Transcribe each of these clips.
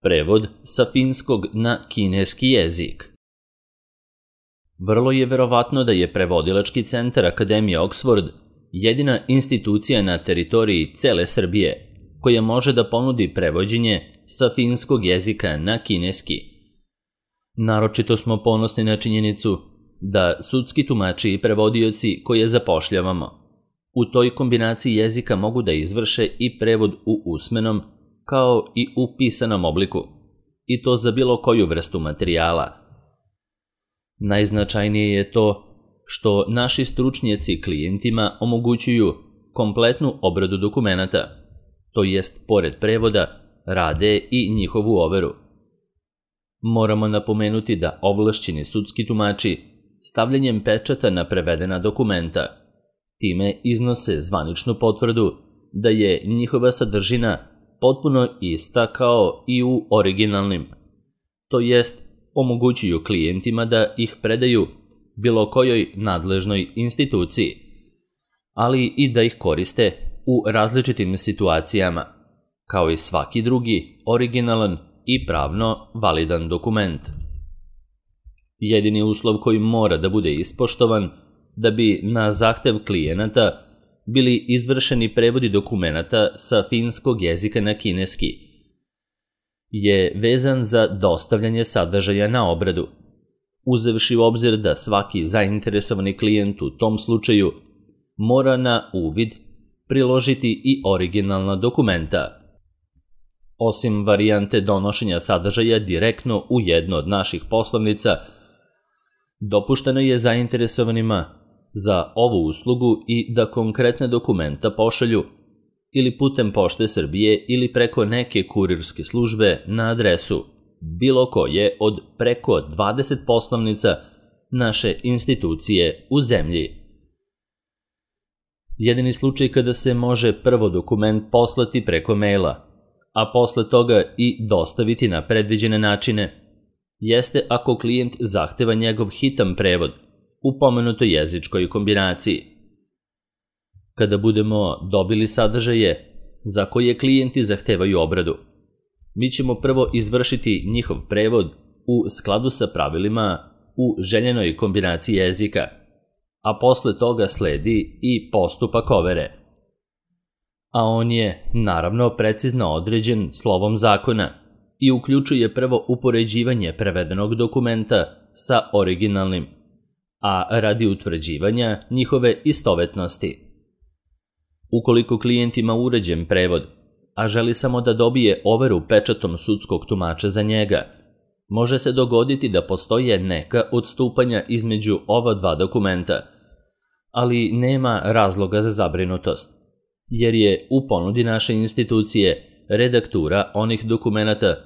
Prevod sa finskog na kineski jezik. Vrlo je verovatno da je Prevodilački centar Akademije Oxford jedina institucija na teritoriji cele Srbije koja može da ponudi prevođenje sa finskog jezika na kineski. Naročito smo ponosni na činjenicu da sudski tumači i prevodioci koje zapošljavamo u toj kombinaciji jezika mogu da izvrše i prevod u usmenom kao i u pisanom obliku, i to za bilo koju vrstu materijala. Najznačajnije je to što naši stručnjaci klijentima omogućuju kompletnu obradu dokumenata, to jest pored prevoda rade i njihovu overu. Moramo napomenuti da ovlašćeni sudski tumači stavljanjem pečata na prevedena dokumenta time iznose zvaničnu potvrdu da je njihova sadržina potpuno ista kao i u originalnim, to jest omogućuju klijentima da ih predaju bilo kojoj nadležnoj instituciji, ali i da ih koriste u različitim situacijama, kao i svaki drugi originalan i pravno validan dokument. Jedini uslov koji mora da bude ispoštovan da bi na zahtev klijenata bili izvršeni prevodi dokumenata sa finskog jezika na kineski je vezan za dostavljanje sadržaja na obradu, uzevši u obzir da svaki zainteresovani klijent u tom slučaju mora na uvid priložiti i originalna dokumenta. Osim varijante donošenja sadržaja direktno u jednu od naših poslovnica, dopušteno je zainteresovanima za ovu uslugu i da konkretne dokumenta pošalju ili putem Pošte Srbije ili preko neke kurirske službe na adresu bilo koje od preko 20 poslovnica naše institucije u zemlji. Jedini slučaj kada se može prvo dokument poslati preko maila, a posle toga i dostaviti na predviđene načine, jeste ako klijent zahteva njegov hitan prevod u pomenutoj jezičkoj kombinaciji. Kada budemo dobili sadržaje za koje klijenti zahtevaju obradu, mi ćemo prvo izvršiti njihov prevod u skladu sa pravilima u željenoj kombinaciji jezika, a posle toga sledi i postupak overe. A on je, naravno, precizno određen slovom zakona i uključuje prvo upoređivanje prevedenog dokumenta sa originalnim, a radi utvrđivanja njihove istovetnosti. Ukoliko klijent ima uređen prevod, a želi samo da dobije overu pečatom sudskog tumača za njega, može se dogoditi da postoje neka odstupanja između ova dva dokumenta, ali nema razloga za zabrinutost, jer je u ponudi naše institucije redaktura onih dokumenata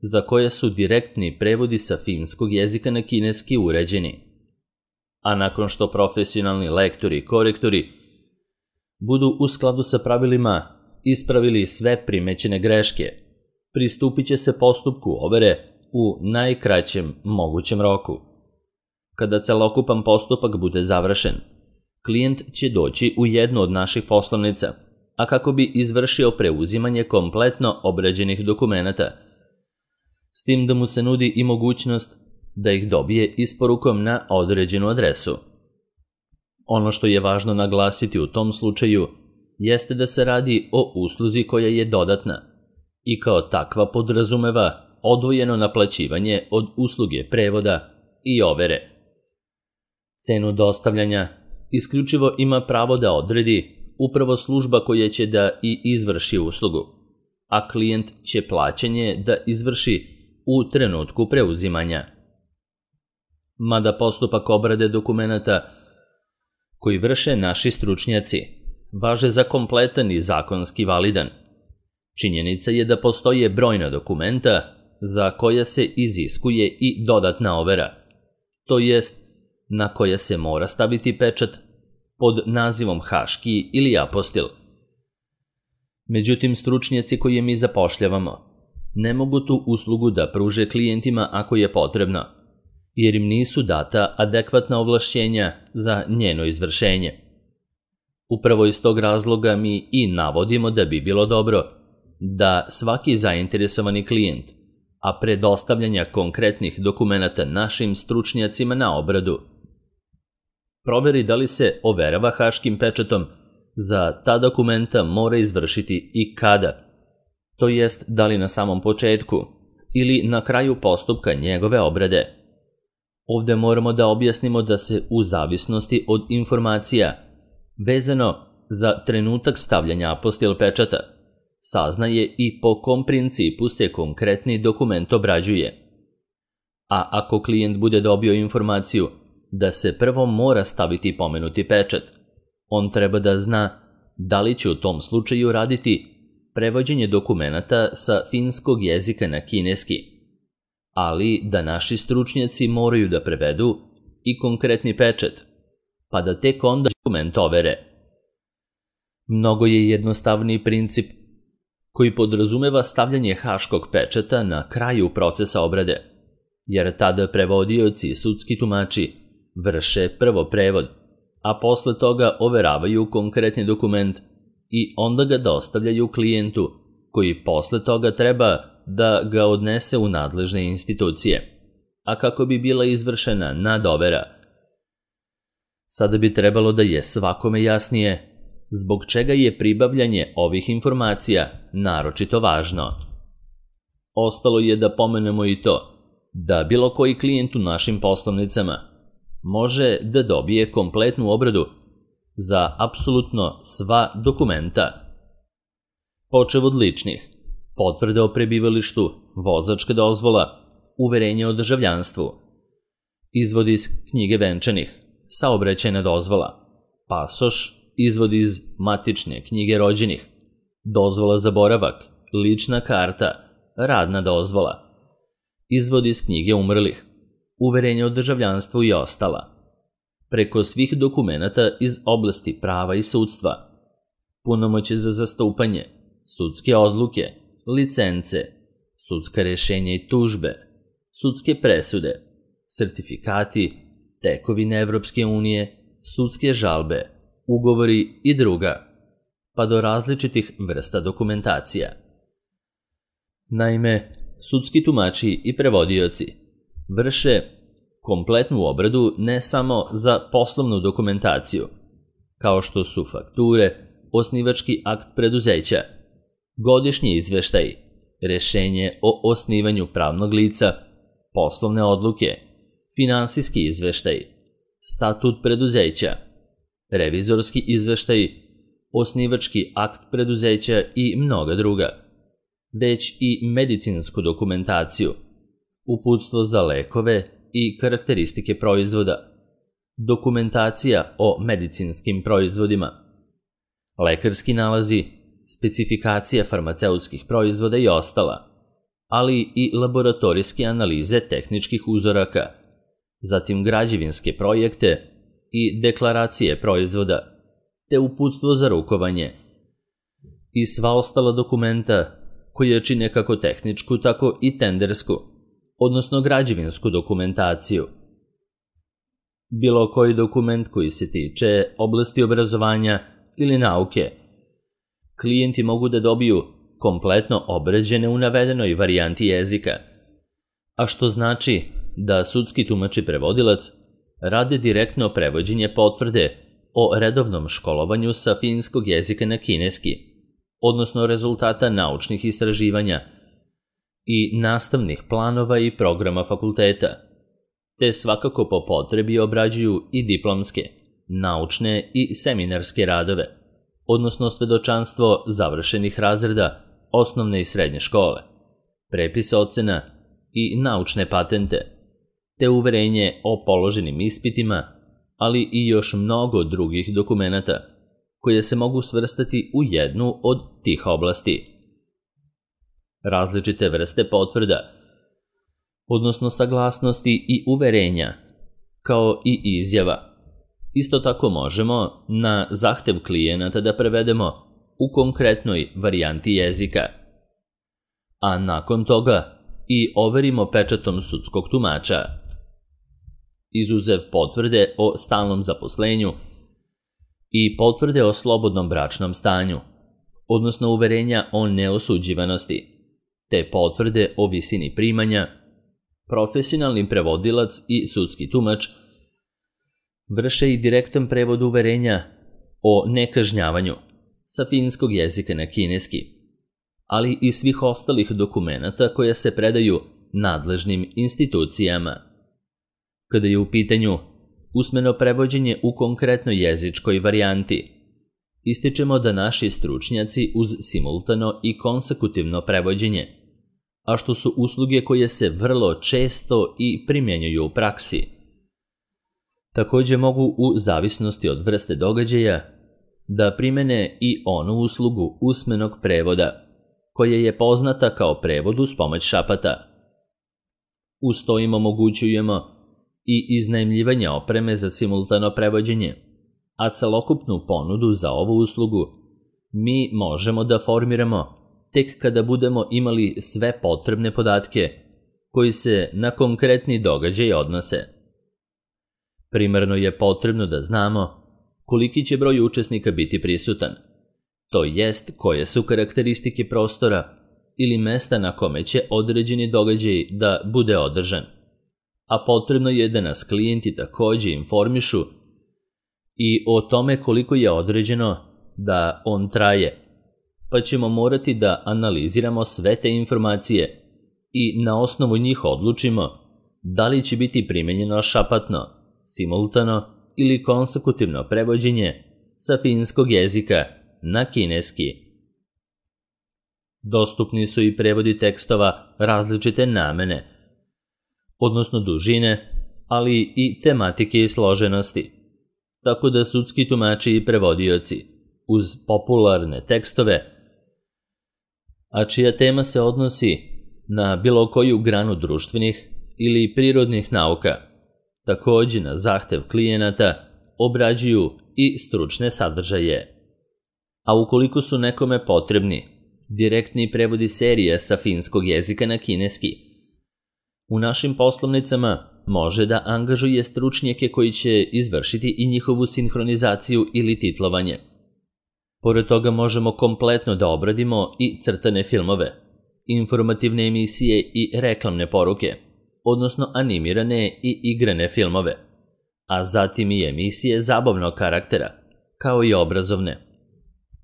za koje su direktni prevodi sa finskog jezika na kineski uređeni. A nakon što profesionalni lektori i korektori budu u skladu sa pravilima ispravili sve primećene greške, pristupit će se postupku overe u najkraćem mogućem roku. Kada celokupan postupak bude završen, klijent će doći u jednu od naših poslovnica, a kako bi izvršio preuzimanje kompletno obrađenih dokumenata, s tim da mu se nudi i mogućnost da ih dobije isporukom na određenu adresu. Ono što je važno naglasiti u tom slučaju jeste da se radi o usluzi koja je dodatna i kao takva podrazumeva odvojeno naplaćivanje od usluge prevoda i overe. Cenu dostavljanja isključivo ima pravo da odredi upravo služba koja će da i izvrši uslugu, a klijent će plaćanje da izvrši u trenutku preuzimanja. Mada postupak obrade dokumenata koji vrše naši stručnjaci važe za kompletan i zakonski validan, činjenica je da postoje brojna dokumenta za koja se iziskuje i dodatna overa, to jest na koja se mora staviti pečat pod nazivom haški ili apostil. Međutim, stručnjaci koje mi zapošljavamo ne mogu tu uslugu da pruže klijentima ako je potrebno, jer im nisu data adekvatna ovlašćenja za njeno izvršenje. Upravo iz tog razloga mi i navodimo da bi bilo dobro da svaki zainteresovani klijent a pre dostavljanja konkretnih dokumenata našim stručnjacima na obradu. Proveri da li se overava haškim pečatom, za ta dokumenta mora izvršiti i kada, to jest da li na samom početku ili na kraju postupka njegove obrade. Ovde moramo da objasnimo da se u zavisnosti od informacija, vezano za trenutak stavljanja apostil pečata, saznaje i po kom principu se konkretni dokument obrađuje. A ako klijent bude dobio informaciju da se prvo mora staviti pomenuti pečat, on treba da zna da li će u tom slučaju raditi prevođenje dokumenata sa finskog jezika na kineski, ali da naši stručnjaci moraju da prevedu i konkretni pečat, pa da tek onda dokument overe. Mnogo je jednostavniji princip koji podrazumeva stavljanje haškog pečata na kraju procesa obrade, jer tada prevodioci i sudski tumači vrše prvo prevod, a posle toga overavaju konkretni dokument i onda ga dostavljaju klijentu, koji posle toga treba da ga odnese u nadležne institucije, a kako bi bila izvršena nadovera. Sada bi trebalo da je svakome jasnije zbog čega je pribavljanje ovih informacija naročito važno. Ostalo je da pomenemo i to da bilo koji klijent u našim poslovnicama može da dobije kompletnu obradu za apsolutno sva dokumenta. Počev od ličnih, potvrde o prebivalištu, vozačka dozvola, uverenje o državljanstvu, izvod iz knjige venčanih, saobraćajna dozvola, pasoš, izvod iz matične knjige rođenih, dozvola za boravak, lična karta, radna dozvola, izvod iz knjige umrlih, uverenje o državljanstvu i ostala. Preko svih dokumenata iz oblasti prava i sudstva, punomoćje za zastupanje, sudske odluke, licence, sudska rešenja i tužbe, sudske presude, sertifikati, tekovine Evropske unije, sudske žalbe, ugovori i druga, pa do različitih vrsta dokumentacija. Naime, sudski tumači i prevodioci vrše kompletnu obradu ne samo za poslovnu dokumentaciju, kao što su fakture, osnivački akt preduzeća, godišnji izveštaj, rešenje o osnivanju pravnog lica, poslovne odluke, finansijski izveštaj, statut preduzeća, revizorski izveštaj, osnivački akt preduzeća i mnoga druga, već i medicinsku dokumentaciju, uputstvo za lekove i karakteristike proizvoda, dokumentacija o medicinskim proizvodima, lekarski nalazi, specifikacija farmaceutskih proizvoda i ostala, ali i laboratorijske analize tehničkih uzoraka, zatim građevinske projekte i deklaracije proizvoda, te uputstvo za rukovanje i sva ostala dokumenta koje čine kako tehničku, tako i tendersku, odnosno građevinsku dokumentaciju. Bilo koji dokument koji se tiče oblasti obrazovanja ili nauke, klijenti mogu da dobiju kompletno obrađene u navedenoj varijanti jezika, a što znači da sudski tumač i prevodilac rade direktno prevođenje potvrde o redovnom školovanju sa finskog jezika na kineski, odnosno rezultata naučnih istraživanja i nastavnih planova i programa fakulteta, te svakako po potrebi obrađuju i diplomske, naučne i seminarske radove, odnosno svedočanstvo završenih razreda osnovne i srednje škole, prepis ocena i naučne patente, te uverenje o položenim ispitima, ali i još mnogo drugih dokumenata koje se mogu svrstati u jednu od tih oblasti. Različite vrste potvrda, odnosno saglasnosti i uverenja, kao i izjava, isto tako možemo na zahtev klijenata da prevedemo u konkretnoj varijanti jezika, a nakon toga i overimo pečatom sudskog tumača. Izuzev potvrde o stalnom zaposlenju i potvrde o slobodnom bračnom stanju, odnosno uverenja o neosuđivanosti, te potvrde o visini primanja, profesionalni prevodilac i sudski tumač vrše i direktan prevod uverenja o nekažnjavanju sa finskog jezika na kineski, ali i svih ostalih dokumenata koja se predaju nadležnim institucijama. Kada je u pitanju usmeno prevođenje u konkretnoj jezičkoj varijanti, ističemo da naši stručnjaci uz simultano i konsekutivno prevođenje, a što su usluge koje se vrlo često i primjenjuju u praksi, takođe mogu u zavisnosti od vrste događaja da primene i onu uslugu usmenog prevoda, koja je poznata kao prevod uz pomoć šapata. Uz to im omogućujemo i iznajmljivanje opreme za simultano prevođenje, a celokupnu ponudu za ovu uslugu mi možemo da formiramo tek kada budemo imali sve potrebne podatke koji se na konkretni događaj odnose. Primarno je potrebno da znamo koliki će broj učesnika biti prisutan, to jest koje su karakteristike prostora ili mesta na kome će određeni događaj da bude održan, a potrebno je da nas klijenti takođe informišu i o tome koliko je određeno da on traje, pa ćemo morati da analiziramo sve te informacije i na osnovu njih odlučimo da li će biti primenjeno šapatno, simultano ili konsekutivno prevođenje sa finskog jezika na kineski. Dostupni su i prevodi tekstova različite namene, odnosno dužine, ali i tematike i složenosti, tako da sudski tumači i prevodioci uz popularne tekstove, a čija tema se odnosi na bilo koju granu društvenih ili prirodnih nauka, takođe na zahtev klijenata obrađuju i stručne sadržaje. A ukoliko su nekome potrebni direktni prevodi serije sa finskog jezika na kineski, u našim poslovnicama može da angažuje stručnjake koji će izvršiti i njihovu sinhronizaciju ili titlovanje. Pored toga možemo kompletno da obradimo i crtane filmove, informativne emisije i reklamne poruke, odnosno animirane i igrane filmove, a zatim i emisije zabavnog karaktera, kao i obrazovne,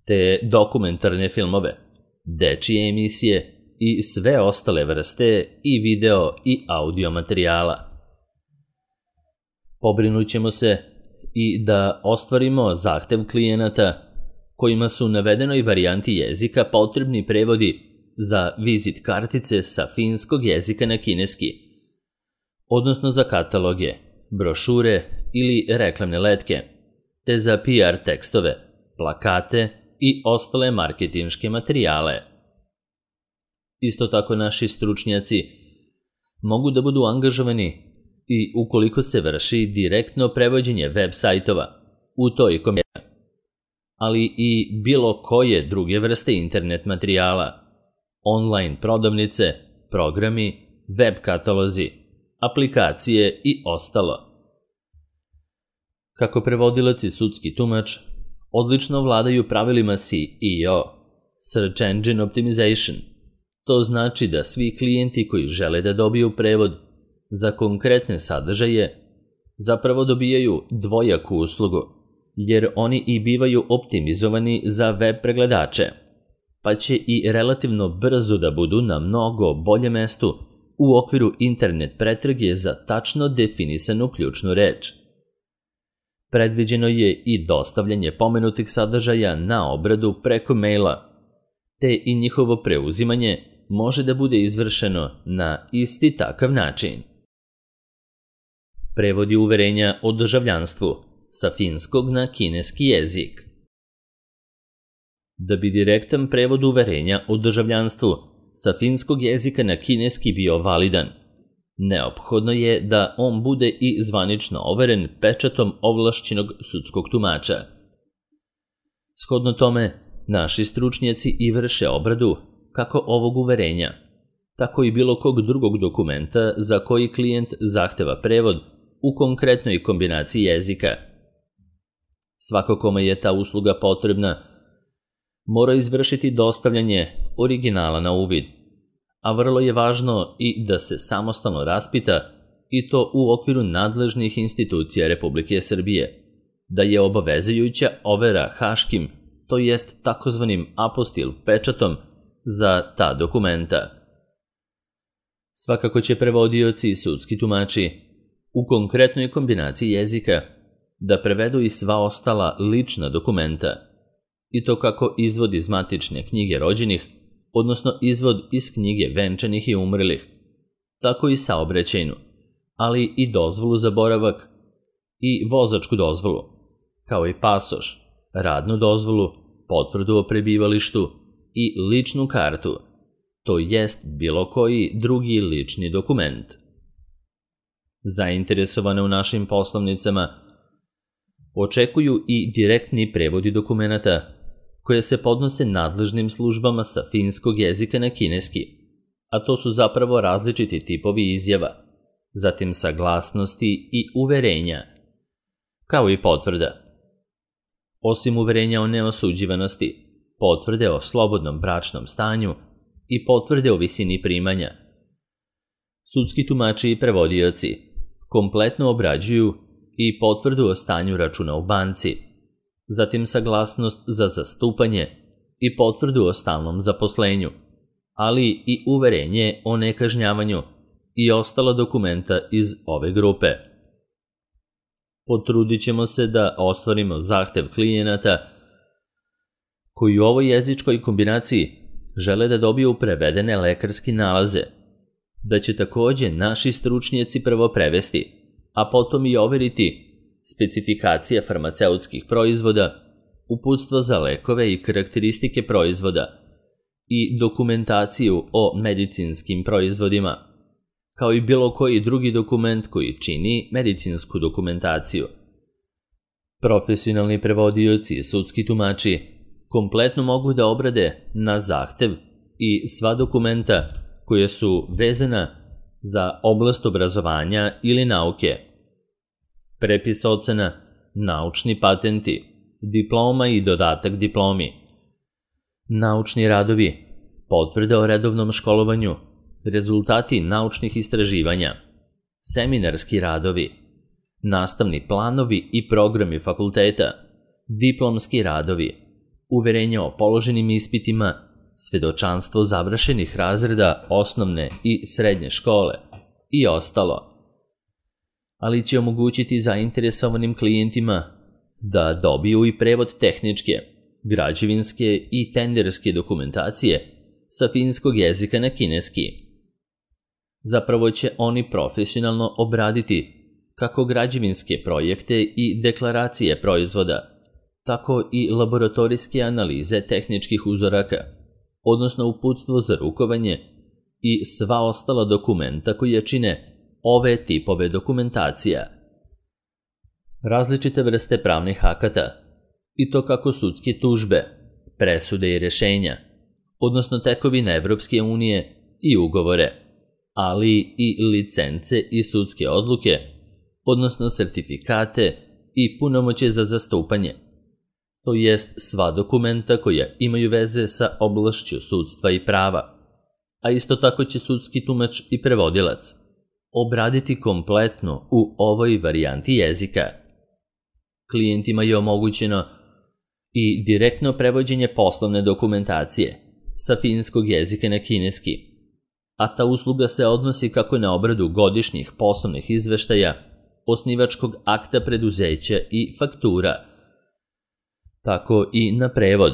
te dokumentarne filmove, dečije emisije i sve ostale vrste i video i audio materijala. Pobrinut ćemo se i da ostvarimo zahtev klijenata kojima su u navedenoj varijanti jezika potrebni prevodi za vizit kartice sa finskog jezika na kineski, odnosno za kataloge, brošure ili reklamne letke, te za PR tekstove, plakate i ostale marketinške materijale. Isto tako naši stručnjaci mogu da budu angažovani i ukoliko se vrši direktno prevođenje web sajtova u toj kompaniji, ali i bilo koje druge vrste internet materijala, online prodavnice, programi, web katalozi, aplikacije i ostalo. Kako prevodilac i sudski tumač odlično vladaju pravilima SEO, Search Engine Optimization. To znači da svi klijenti koji žele da dobiju prevod za konkretne sadržaje zapravo dobijaju dvojaku uslugu, jer oni i bivaju optimizovani za web pregledače, pa će i relativno brzo da budu na mnogo boljem mestu u okviru internet pretrage za tačno definisanu ključnu reč. Predviđeno je i dostavljanje pomenutih sadržaja na obradu preko maila, te i njihovo preuzimanje može da bude izvršeno na isti takav način. Prevodi uverenja o državljanstvu sa finskog na kineski jezik. Da bi direktan prevod uverenja o državljanstvu sa finskog jezika na kineski bio validan, neophodno je da on bude i zvanično overen pečatom ovlašćenog sudskog tumača. Shodno tome, naši stručnjaci i vrše obradu kako ovog uverenja, tako i bilo kog drugog dokumenta za koji klijent zahteva prevod u konkretnoj kombinaciji jezika. Svako kome je ta usluga potrebna mora izvršiti dostavljanje originala na uvid, a vrlo je važno i da se samostalno raspita, i to u okviru nadležnih institucija Republike Srbije, da je obavezujuća overa haškim, to jest takozvanim apostil pečatom, za ta dokumenta. Svakako će prevodioci i sudski tumači u konkretnoj kombinaciji jezika da prevedu i sva ostala lična dokumenta, i to kako izvod iz matične knjige rođenih, odnosno izvod iz knjige venčanih i umrlih, tako i saobraćajnu, ali i dozvolu za boravak i vozačku dozvolu, kao i pasoš, radnu dozvolu, potvrdu o prebivalištu i ličnu kartu, to jest bilo koji drugi lični dokument. Zainteresovane u našim poslovnicama očekuju i direktni prevodi dokumenata koje se podnose nadležnim službama sa finskog jezika na kineski, a to su zapravo različiti tipovi izjava, zatim saglasnosti i uverenja, kao i potvrda. Osim uverenja o neosuđivanosti, potvrde o slobodnom bračnom stanju i potvrde o visini primanja, sudski tumači i prevodioci kompletno obrađuju i potvrdu o stanju računa u banci, zatim saglasnost za zastupanje i potvrdu o stalnom zaposlenju, ali i uverenje o nekažnjavanju i ostala dokumenta iz ove grupe. Potrudit ćemo se da ostvarimo zahtev klijenata koji u ovoj jezičkoj kombinaciji žele da dobiju prevedene lekarski nalaze, da će takođe naši stručnjaci prvo prevesti, a potom i overiti specifikacije farmaceutskih proizvoda, uputstvo za lekove i karakteristike proizvoda i dokumentaciju o medicinskim proizvodima, kao i bilo koji drugi dokument koji čini medicinsku dokumentaciju. Profesionalni prevodioci i sudski tumači kompletno mogu da obrade na zahtev i sva dokumenta koje su vezana za oblast obrazovanja ili nauke. Prepis ocena, naučni patenti, diploma i dodatak diplomi, naučni radovi, potvrde o redovnom školovanju, rezultati naučnih istraživanja, seminarski radovi, nastavni planovi i programi fakulteta, diplomski radovi, uverenje o položenim ispitima, svedočanstvo završenih razreda osnovne i srednje škole i ostalo. Ali će omogućiti zainteresovanim klijentima da dobiju i prevod tehničke, građevinske i tenderske dokumentacije sa finskog jezika na kineski. Zapravo će oni profesionalno obraditi kako građevinske projekte i deklaracije proizvoda, tako i laboratorijske analize tehničkih uzoraka, odnosno uputstvo za rukovanje i sva ostala dokumenta koje čine ove tipove dokumentacija. Različite vrste pravnih akata, i to kako sudske tužbe, presude i rešenja, odnosno tekovine Evropske unije i ugovore, ali i licence i sudske odluke, odnosno sertifikate i punomoćje za zastupanje, to jest sva dokumenta koja imaju veze sa oblašću sudstva i prava, a isto tako će sudski tumač i prevodilac obraditi kompletno u ovoj varijanti jezika. Klijentima je omogućeno i direktno prevođenje poslovne dokumentacije sa finskog jezika na kineski, a ta usluga se odnosi kako na obradu godišnjih poslovnih izveštaja, osnivačkog akta preduzeća i faktura, tako i na prevod,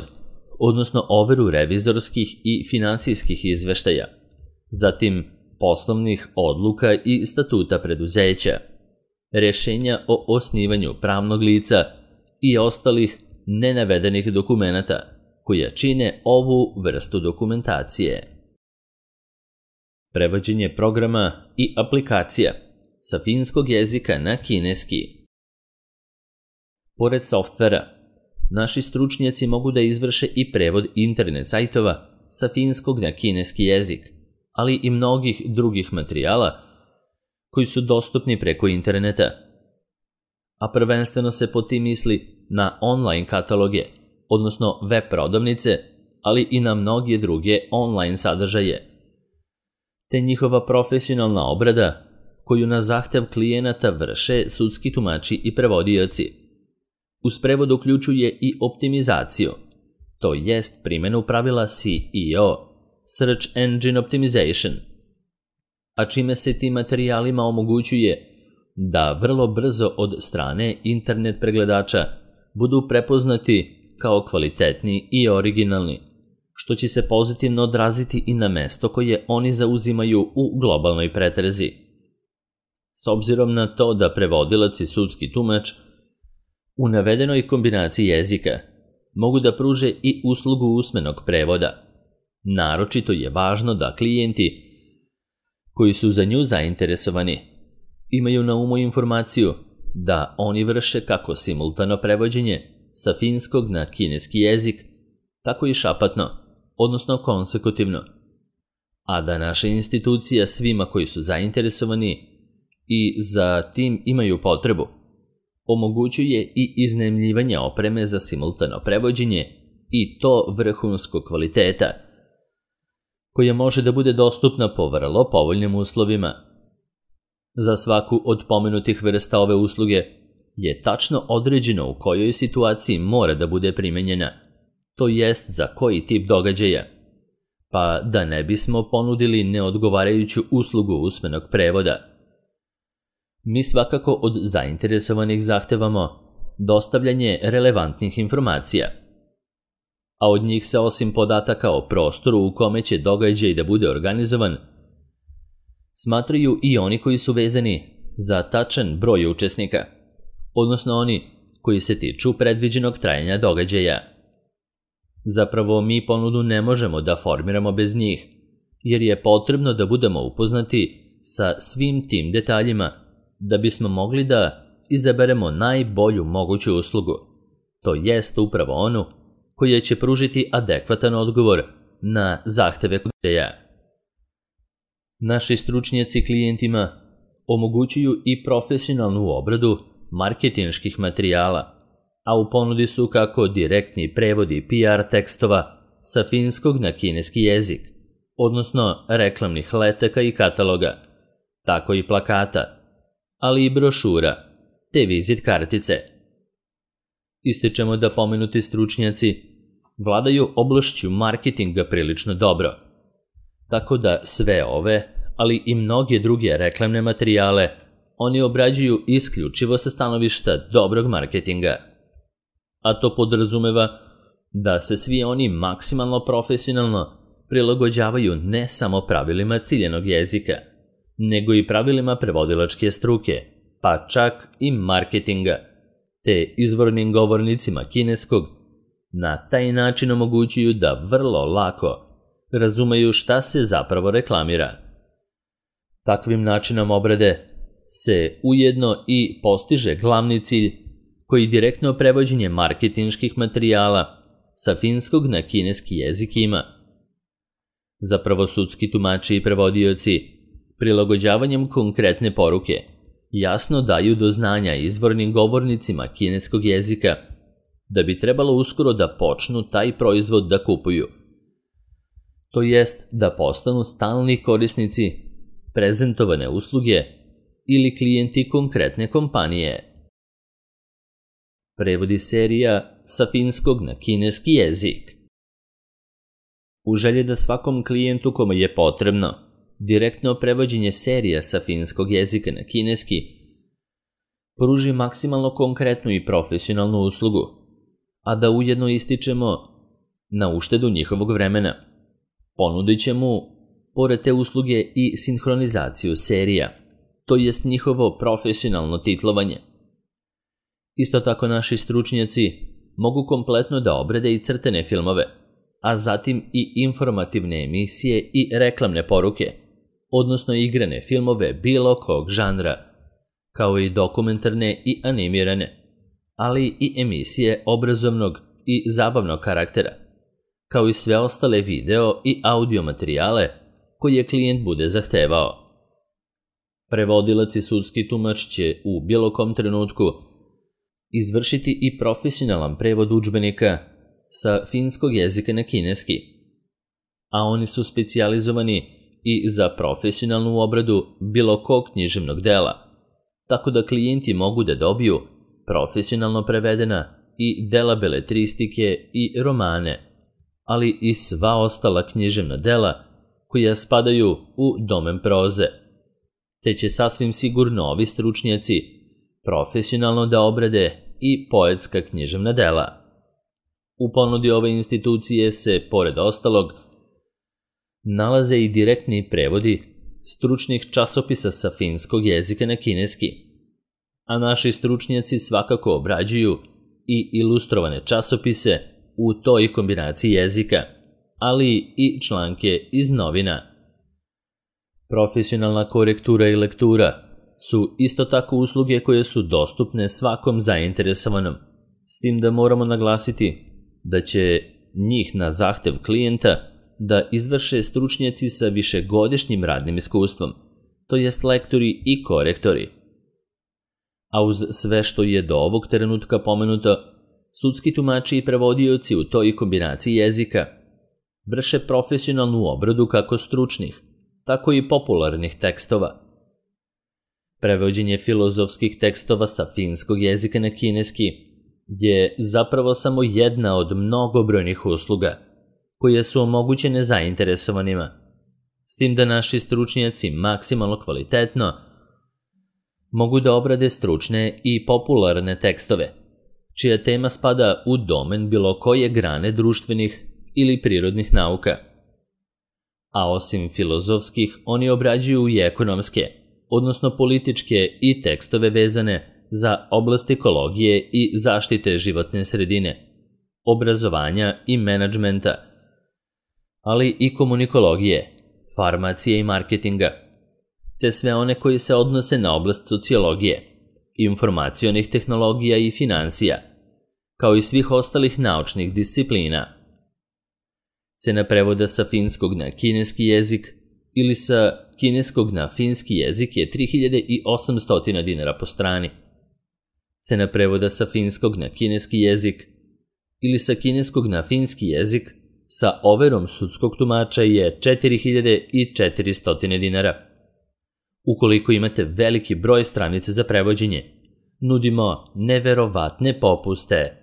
odnosno overu revizorskih i finansijskih izveštaja, zatim poslovnih odluka i statuta preduzeća, rešenja o osnivanju pravnog lica i ostalih nenavedenih dokumenata koja čine ovu vrstu dokumentacije. Prevođenje programa i aplikacija sa finskog jezika na kineski. Pored softvera, naši stručnjaci mogu da izvrše i prevod internet sajtova sa finskog na kineski jezik, ali i mnogih drugih materijala koji su dostupni preko interneta. A prvenstveno se po tim misli na online kataloge, odnosno web prodavnice, ali i na mnoge druge online sadržaje. te njihova profesionalna obrada koju na zahtev klijenata vrše sudski tumači i prevodioci. Uz prevod uključuje i optimizaciju, to jest primjenu pravila SEO, Search Engine Optimization, a čime se tim materijalima omogućuje da vrlo brzo od strane internet pregledača budu prepoznati kao kvalitetni i originalni, što će se pozitivno odraziti i na mesto koje oni zauzimaju u globalnoj pretrezi. S obzirom na to da prevodilac i sudski tumač u navedenoj kombinaciji jezika mogu da pruže i uslugu usmenog prevoda, naročito je važno da klijenti koji su za nju zainteresovani imaju na umu informaciju da oni vrše kako simultano prevođenje sa finskog na kineski jezik, tako i šapatno, odnosno konsekutivno, a da naša institucija svima koji su zainteresovani i za tim imaju potrebu omogućuje i iznajmljivanje opreme za simultano prevođenje i to vrhunskog kvaliteta, koja može da bude dostupna po vrlo povoljnim uslovima. Za svaku od pomenutih vrsta ove usluge je tačno određeno u kojoj situaciji mora da bude primenjena, to jest za koji tip događaja, pa da ne bismo ponudili neodgovarajuću uslugu usmenog prevoda. Mi svakako od zainteresovanih zahtevamo dostavljanje relevantnih informacija, a od njih se osim podataka o prostoru u kome će događaj da bude organizovan, smatraju i oni koji su vezani za tačan broj učesnika, odnosno oni koji se tiču predviđenog trajanja događaja. Zapravo mi ponudu ne možemo da formiramo bez njih, jer je potrebno da budemo upoznati sa svim tim detaljima da bismo mogli da izaberemo najbolju moguću uslugu, to jest upravo onu koja će pružiti adekvatan odgovor na zahteve klijenata. Naši stručnjaci klijentima omogućuju i profesionalnu obradu marketinških materijala, a u ponudi su kako direktni prevodi PR tekstova sa finskog na kineski jezik, odnosno reklamnih letaka i kataloga, tako i plakata, ali i brošura, te vizit kartice. Ističemo da pomenuti stručnjaci vladaju oblašću marketinga prilično dobro, tako da sve ove, ali i mnoge druge reklamne materijale oni obrađuju isključivo sa stanovišta dobrog marketinga. A to podrazumeva da se svi oni maksimalno profesionalno prilagođavaju ne samo pravilima ciljenog jezika, nego i pravilima prevodilačke struke, pa čak i marketinga, te izvornim govornicima kineskog na taj način omogućuju da vrlo lako razumeju šta se zapravo reklamira. Takvim načinom obrade se ujedno i postiže glavni cilj koji direktno prevođenje marketinških materijala sa finskog na kineski jezik ima. Zapravo sudski tumači i prevodioci prilagođavanjem konkretne poruke jasno daju do znanja izvornim govornicima kineskog jezika da bi trebalo uskoro da počnu taj proizvod da kupuju. To jest da postanu stalni korisnici prezentovane usluge ili klijenti konkretne kompanije. Prevodi serija sa finskog na kineski jezik. U želji da svakom klijentu kome je potrebno direktno prevođenje serija sa finskog jezika na kineski pruži maksimalno konkretnu i profesionalnu uslugu, a da ujedno ističemo na uštedu njihovog vremena. Ponudit će mu, pored te usluge, i sinhronizaciju serija, to jest njihovo profesionalno titlovanje. Isto tako naši stručnjaci mogu kompletno da obrade i crtene filmove, a zatim i informativne emisije i reklamne poruke, odnosno igrane filmove bilo kog žanra, kao i dokumentarne i animirane, ali i emisije obrazovnog i zabavnog karaktera, kao i sve ostale video i audio materijale koje klijent bude zahtevao. Prevodilac i sudski tumač će u bilo kom trenutku izvršiti i profesionalan prevod udžbenika sa finskog jezika na kineski, a oni su specijalizovani i za profesionalnu obradu bilo kog književnog dela, tako da klijenti mogu da dobiju profesionalno prevedena i dela beletristike i romane, ali i sva ostala književna dela koja spadaju u domen proze, te će sasvim sigurno ovi stručnjaci profesionalno da obrade i poetska književna dela. U ponudi ove institucije se, pored ostalog, nalaze i direktni prevodi stručnih časopisa sa finskog jezika na kineski, a naši stručnjaci svakako obrađuju i ilustrovane časopise u toj kombinaciji jezika, ali i članke iz novina. Profesionalna korektura i lektura su isto tako usluge koje su dostupne svakom zainteresovanom, s tim da moramo naglasiti da će njih na zahtev klijenta da izvrše stručnjaci sa višegodišnjim radnim iskustvom, to jest lektori i korektori. A uz sve što je do ovog trenutka pomenuto, sudski tumači i prevodioci u toj kombinaciji jezika vrše profesionalnu obradu kako stručnih, tako i popularnih tekstova. Prevođenje filozofskih tekstova sa finskog jezika na kineski je zapravo samo jedna od mnogobrojnih usluga koje su omogućene zainteresovanima, s tim da naši stručnjaci maksimalno kvalitetno mogu da obrade stručne i popularne tekstove, čija tema spada u domen bilo koje grane društvenih ili prirodnih nauka. A osim filozofskih, oni obrađuju i ekonomske, odnosno političke i tekstove vezane za oblast ekologije i zaštite životne sredine, obrazovanja i menadžmenta, ali i komunikologije, farmacije i marketinga, te sve one koji se odnose na oblast sociologije, informacionih tehnologija i finansija, kao i svih ostalih naučnih disciplina. Cena prevoda sa finskog na kineski jezik ili sa kineskog na finski jezik je 3800 dinara po strani. Cena prevoda sa finskog na kineski jezik ili sa kineskog na finski jezik sa overom sudskog tumača je 4400 dinara. Ukoliko imate veliki broj stranica za prevođenje, nudimo neverovatne popuste.